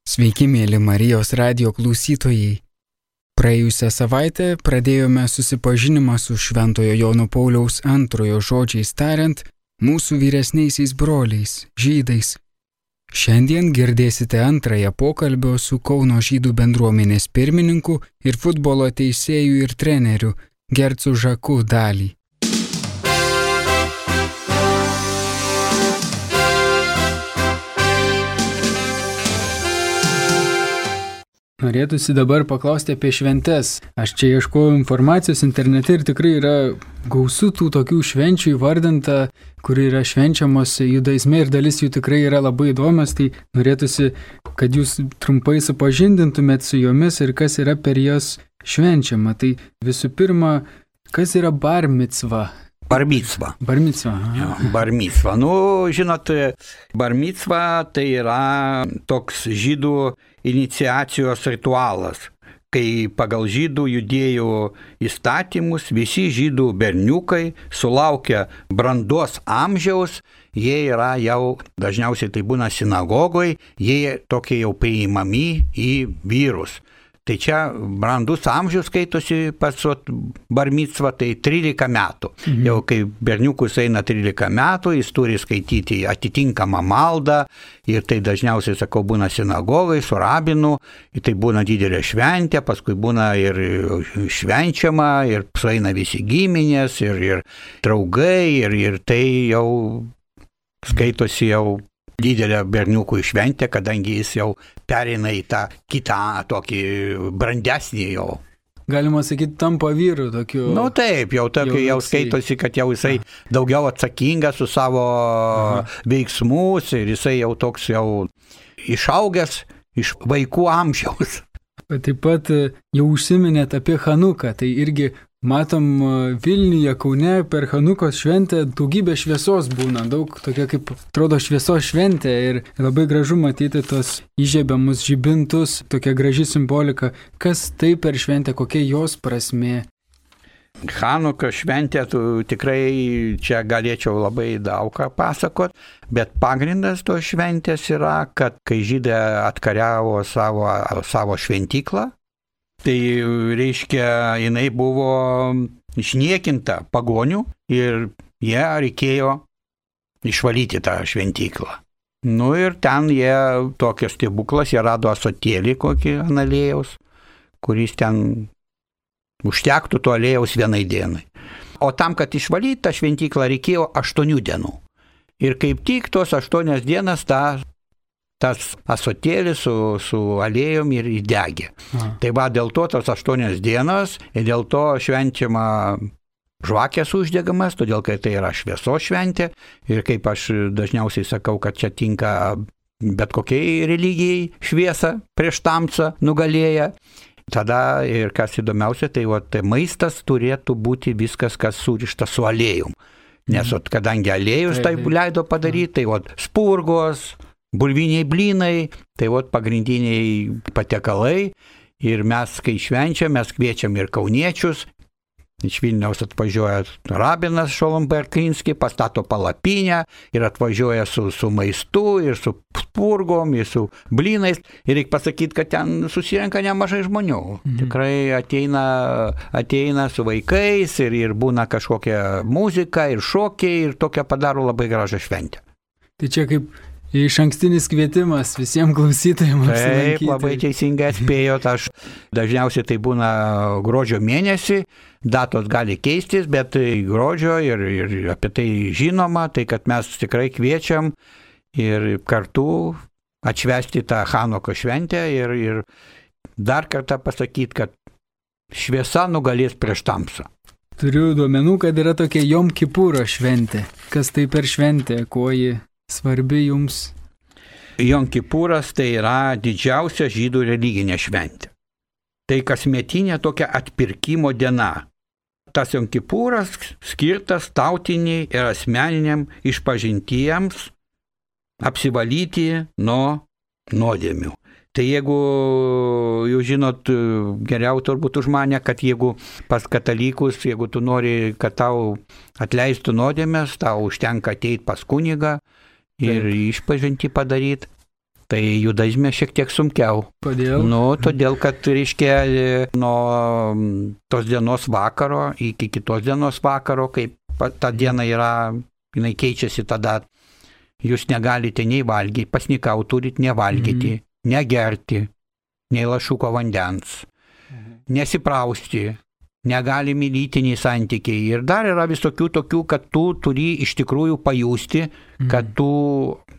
Sveiki, mėly Marijos radijo klausytojai. Praėjusią savaitę pradėjome susipažinimą su Šventojo Jono Pauliaus II žodžiais tariant, mūsų vyresniaisiais broliais, žydais. Šiandien girdėsite antrąją pokalbio su Kauno žydų bendruomenės pirmininku ir futbolo teisėju ir treneriu Gercu Žaku dalį. Norėtųsi dabar paklausti apie šventes. Aš čia ieškojau informacijos internete ir tikrai yra gausu tų tokių švenčių įvardinta, kuri yra švenčiamos judaizme ir dalis jų tikrai yra labai įdomios. Tai norėtųsi, kad jūs trumpai supažindintumėt su jomis ir kas yra per jas švenčiama. Tai visų pirma, kas yra bar micva? Bar micva. Bar micva. Bar micva. Žinot, bar micva tai yra toks žydų iniciacijos ritualas, kai pagal žydų judėjų įstatymus visi žydų berniukai sulaukia brandos amžiaus, jie yra jau, dažniausiai tai būna sinagogoje, jie tokie jau priimami į vyrus. Tai čia brandus amžius skaitosi pas bar micva, tai 13 metų. Jau kai berniukus eina 13 metų, jis turi skaityti atitinkamą maldą ir tai dažniausiai, sakau, būna sinagogai su rabinu, ir tai būna didelė šventė, paskui būna ir švenčiama, ir sueina visi giminės, ir draugai, ir tai jau skaitosi jau didelę berniukų šventę, kadangi jis jau pereina į tą kitą tokį brandesnį jau. Galima sakyti, tampa vyru tokiu. Taip, jau skaitosi, kad jau jisai daugiau atsakingas už savo veiksmus ir jisai jau toks jau išaugęs iš vaikų amžiaus. Taip pat jau užsiminėt apie Chanuką, tai irgi matom Vilniuje, Kaune per Chanukos šventę daugybė šviesos būna, daug tokia kaip atrodo šviesos šventė ir labai gražu matyti tos įžiebiamus žibintus, tokia graži simbolika. Kas tai per šventę, kokia jos prasmė? Chanukos šventė, tikrai čia galėčiau labai daug ką pasakot, bet pagrindas tos šventės yra, kad kai žydai atkariavo savo šventyklą, tai reiškia, jinai buvo išniekinta pagonių ir jie reikėjo išvalyti tą šventyklą. Ir ten jie tokios stebuklas, jie rado ąsotėlį kokį aliejaus, kuris ten užtektų to aliejaus vienai dienai. O tam, kad išvalyti tą šventyklą, reikėjo 8 dienų. Ir kaip tik tos 8 dienas tas ąsotėlis su aliejum ir įdegė. Tai va, dėl to tos 8 dienos ir dėl to švenčiama žvakės uždegamas, todėl kad tai yra šviesos šventė ir kaip aš dažniausiai sakau, kad čia tinka bet kokiai religijai šviesa prieš tamsą nugalėja. Tada ir kas įdomiausia, tai maistas turėtų būti viskas, kas surišta su aliejum. Nes kadangi aliejus taip leido padaryti, tai spurgos, bulviniai blynai, tai pagrindiniai patiekalai. Ir mes, kai švenčiam, mes kviečiam ir kauniečius. Iš Vilniaus atvažiuoja rabinas Šolom Berklinski, pastato palapinę ir atvažiuoja su maistu ir su spurgom, ir su blynais. Ir reikia pasakyti, kad ten susirenka nemažai žmonių. Tikrai ateina su vaikais ir būna kažkokia muzika ir šokiai ir tokia padaro labai gražią šventę. Tai čia kaip išankstinis kvietimas visiems klausytojams apsilankyti. Taip, labai teisingai atspėjot, aš dažniausiai tai būna gruodžio mėnesį, datos gali keistis, bet gruodžio ir apie tai žinoma, tai kad mes tikrai kviečiam ir kartu atšvęsti tą Chanukos šventę ir dar kartą pasakyti, kad šviesa nugalės prieš tamsą. Turiu duomenų, kad yra tokia Jom Kipuro šventė. Kas tai per šventė, kuo ji svarbi jums? Jom Kipuras tai yra didžiausia žydų religinė šventė. Tai kasmetinė tokia atpirkimo diena. Tas Jom Kipuras skirtas tautiniai ir asmeniniam išpažintiems apsivalyti nuo nuodėmių. Tai jeigu, jūs žinot geriau turbūt už mane, kad jeigu pas katalikus, jeigu tu nori, kad tau atleistų nuodėmės, tau užtenka ateiti pas kunigą ir išpažintį padaryti. Tai judaizme šiek tiek sunkiau. Kodėl? Todėl, kad, reiškia, nuo tos dienos vakaro iki kitos dienos vakaro, kaip ta diena yra, jinai keičiasi tada, jūs negalite nei valgyti, pasnikau turit nevalgyti, negerti, nei lašuko vandens, nesiprausti, negalimi lytiniai santykiai. Ir dar yra visokių tokių, kad tu turi iš tikrųjų pajusti, kad tu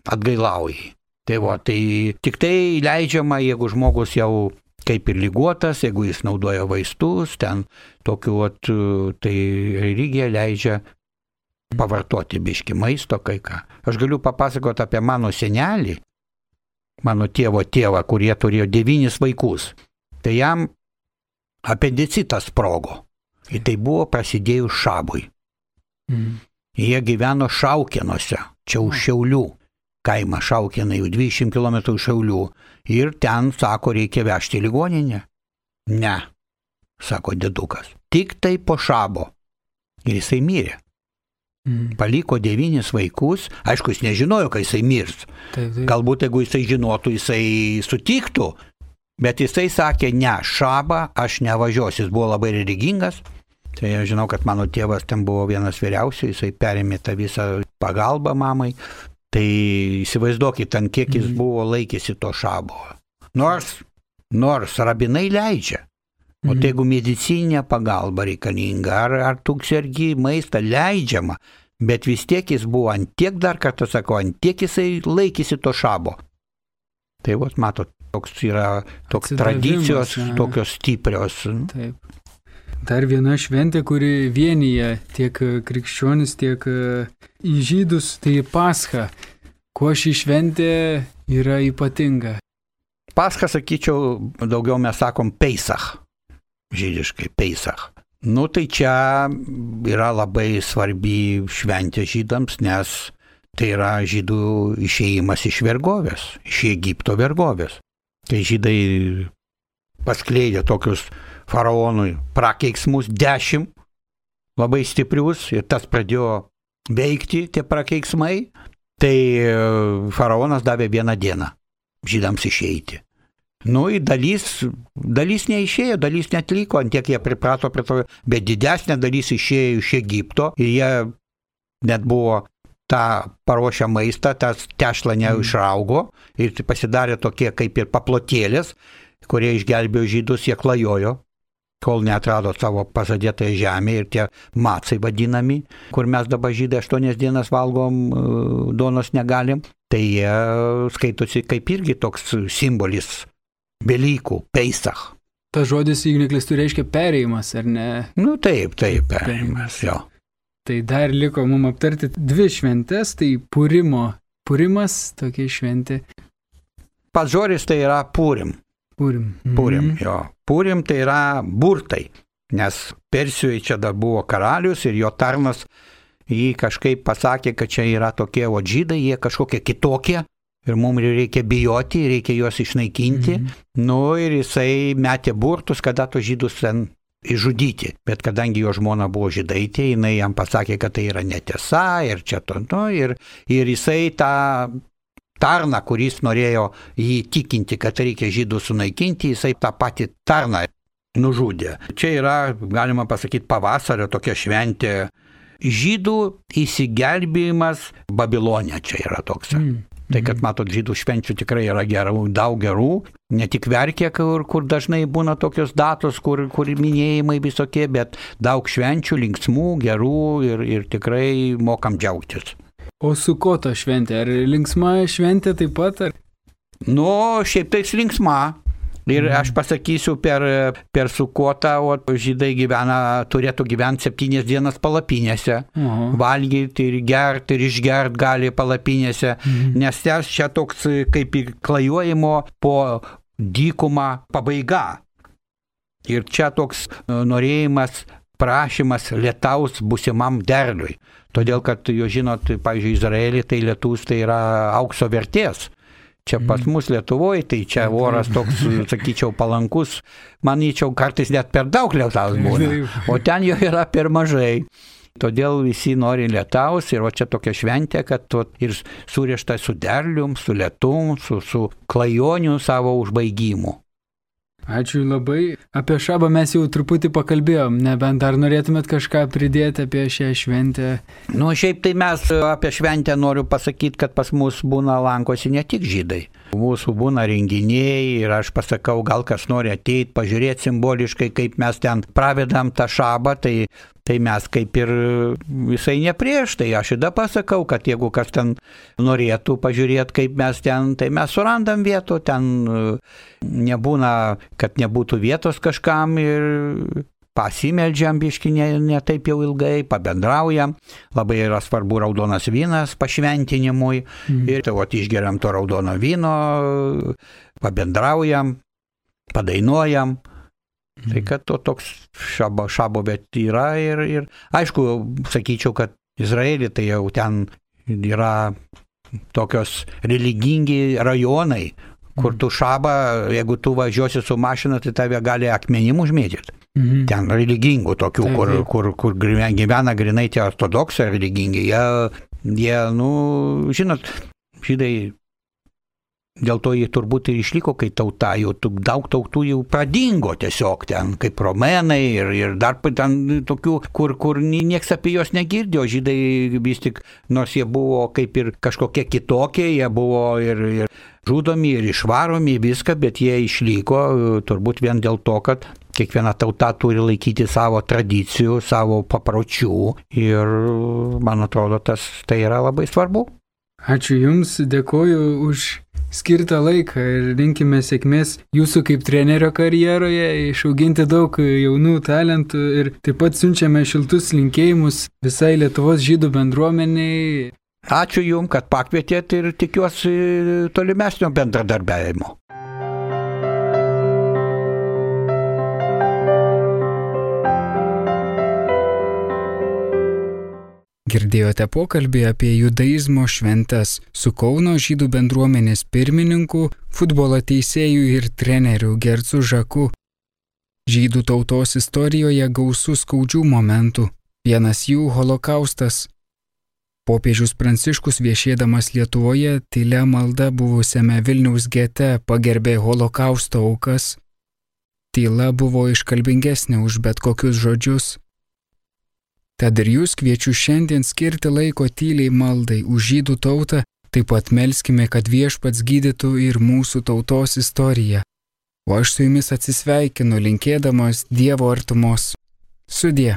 atgailauji. Tai tik tai leidžiama, jeigu žmogus jau kaip ir ligotas, jeigu jis naudoja vaistus, ten tokiu, tai religija leidžia pavartoti biški maisto kai ką. Aš galiu papasakoti apie mano senelį, mano tėvo tėvą, kurie turėjo 9 vaikus. Tai jam apendicitas sprogo. Ir tai buvo prasidėjus šabui. Jie gyveno Šaukėnuose, čia už Šiaulių. Kaimą Šaukėnai, jau 200 km Šiaulių. Ir ten, sako, reikia vežti į ligoninę. Ne, sako dėdukas. Tik tai po šabo. Ir jisai mirė. Paliko 9 vaikus. Aišku, jis nežinojo, kai jisai mirs. Galbūt, jeigu jisai žinotų, jisai sutiktų. Bet jisai sakė, ne, šabą aš nevažiuosiu. Jis buvo labai religingas. Tai aš žinau, kad mano tėvas ten buvo vienas vyriausių. Jisai perėmė tą visą pagalbą mamai. Tai įsivaizduokit, ant kiek jis buvo laikėsi to šabo. Nors rabinai leidžia. O tai jeigu medicininė pagalba reikalinga, ar tu sergi maistą leidžiama, bet vis tiek jis buvo ant tiek, dar kartą sakau, ant tiek jisai laikėsi to šabo. Tai matot, toks yra tradicijos, tokios stiprios. Taip. Dar viena šventė, kuri vienyje tiek krikščionis, tiek į žydus, tai Pascha. Kuo ši šventė yra ypatinga? Pascha, sakyčiau, daugiau mes sakom Peisach. Žydiškai Peisach. Tai čia yra labai svarbi šventė žydams, nes tai yra žydų išėjimas iš vergovės, iš Egipto vergovės. Kai žydai paskleidė tokius faraonui prakeiksmus 10, labai stiprius, ir tas pradėjo veikti, tie prakeiksmai, tai faraonas davė 1 dieną žydams išeiti. Dalis neišėjo, dalis netliko, ant tiek jie priprato prie to, bet didesnė dalis išėjo iš Egipto ir jie net buvo tą paruošę maistą, tas tešlą neišraugo ir pasidarė tokie kaip ir paplotėlės, kurie išgelbėjo žydus, jie klajojo, kol neatrado savo pažadėtąją žemę ir tie macai vadinami, kur mes dabar žydai 8 dienas valgom, duonos negalim, tai jie skaitosi kaip irgi toks simbolis Velykų, Peisach. Ta žodis, jeigu neklystu, reiškia perėjimas, ar ne? Taip, perėjimas, jo. Tai dar liko mums aptarti 2 šventes, tai Purimas, tokia šventė. Pats žodis tai yra Purim. Purim, jo. Purim tai yra burtai, nes Persijoje čia dar buvo karalius ir jo tarnas jį kažkaip pasakė, kad čia yra tokie žydai, jie kažkokie kitokie ir mums reikia bijoti, reikia juos išnaikinti. Ir jisai metė burtus, kada to žydus ten išžudyti. Bet kadangi jo žmona buvo žydaitė, jinai jam pasakė, kad tai yra netiesa ir čia ir jisai tą tarną, kuris norėjo jį tikinti, kad reikia žydų sunaikinti, jisai tą patį tarną nužudė. Čia yra, galima pasakyti, pavasario tokia šventė. Žydų įsigelbėjimas Babilone čia yra toks. Tai, kad matot, žydų švenčių tikrai yra daug gerų, ne tik Verkė, kur dažnai būna tokios datos, kur minėjimai visokie, bet daug švenčių, linksmų, gerų ir tikrai mokam džiaugtis. O Sukoto šventė, ar linksma šventė taip pat? Šiaip tai linksma. Ir aš pasakysiu, per Sukotą žydai turėtų gyventi 7 dienas palapinėse, valgyti ir gerti ir išgert gali palapinėse, nes čia toks kaip ir klajojimo po dykumą pabaiga. Ir čia toks norėjimas, prašymas lietaus būsimam derliui. Todėl, kad jūs žinot, pavyzdžiui, Izraelį tai lietus tai yra aukso vertės. Čia pas mus Lietuvoje, tai čia oras toks, sakyčiau, palankus, manyčiau, kartais net per daug lietaus būna, o ten jo yra per mažai. Todėl visi nori lietaus ir čia tokia šventė, kad ir surišta su derlium, su lietum, su klajoniu savo užbaigimu. Ačiū labai. Apie šabą mes jau truputį pakalbėjom, nebent dar norėtumėt kažką pridėti apie šią šventę? Šiaip tai mes apie šventę noriu pasakyti, kad pas mus lankosi ne tik žydai. Mūsų būna renginiai ir aš pasakau, gal kas nori ateiti, pažiūrėti simboliškai, kaip mes ten pravedam tą šabą, tai mes kaip ir visai ne prieš, tai aš tada pasakau, kad jeigu kas ten norėtų pažiūrėti, kaip mes ten, tai mes surandam vietų, ten nebūna, kad nebūtų vietos kažkam ir pasimeldžiam biškį ne taip jau ilgai, pabendraujam, labai yra svarbu raudonas vynas pašventinimui ir tai išgeriam to raudono vyno, pabendraujam, padainuojam. Tai kad to toks šabo bet yra ir aišku, sakyčiau, kad Izraelį tai jau ten yra tokios religingi rajonai, kur tu šabą, jeigu tu važiuosi su mašina, tai tave gali akmenim užmėtyti. Ten religingų tokių, kur gyvena grinai tie ortodoksai religingi. Jie, žinot, žydai, dėl to jie turbūt ir išliko, kai tauta, jau daug tautų jau pradingo tiesiog ten, kaip romėnai ir dar ten tokių, kur nieks apie juos negirdėjo. Žydai vis tik, nors jie buvo kaip ir kažkokie kitokie, jie buvo ir žudomi, ir išvaromi, viską, bet jie išliko turbūt vien dėl to, kad kiekviena tauta turi laikyti savo tradicijų, savo papročių ir man atrodo, tai yra labai svarbu. Ačiū Jums, dėkoju už skirtą laiką ir linkime sėkmės jūsų kaip trenerio karjeroje, išauginti daug jaunų talentų ir taip pat siunčiame šiltus linkėjimus visai Lietuvos žydų bendruomeniai. Ačiū Jums, kad pakvietėt ir tikiuosi tolimesnio bendradarbiavimo. Girdėjote pokalbį apie judaizmo šventes su Kauno žydų bendruomenės pirmininku, futbolo teisėju ir treneriu Gercu Žaku. Žydų tautos istorijoje gausu skaudžių momentų. Vienas jų – holokaustas. Popiežius Pranciškus viešėdamas Lietuvoje tylia malda buvusiame Vilniaus gete pagerbė holokausto aukas. Tyla buvo iškalbingesnė už bet kokius žodžius. Tad ir jūs kviečiu šiandien skirti laiko tyliai maldai už žydų tautą, taip pat melskime, kad Viešpats gydytų ir mūsų tautos istoriją. O aš su jumis atsisveikinu, linkėdamas Dievo artumos. Sudie.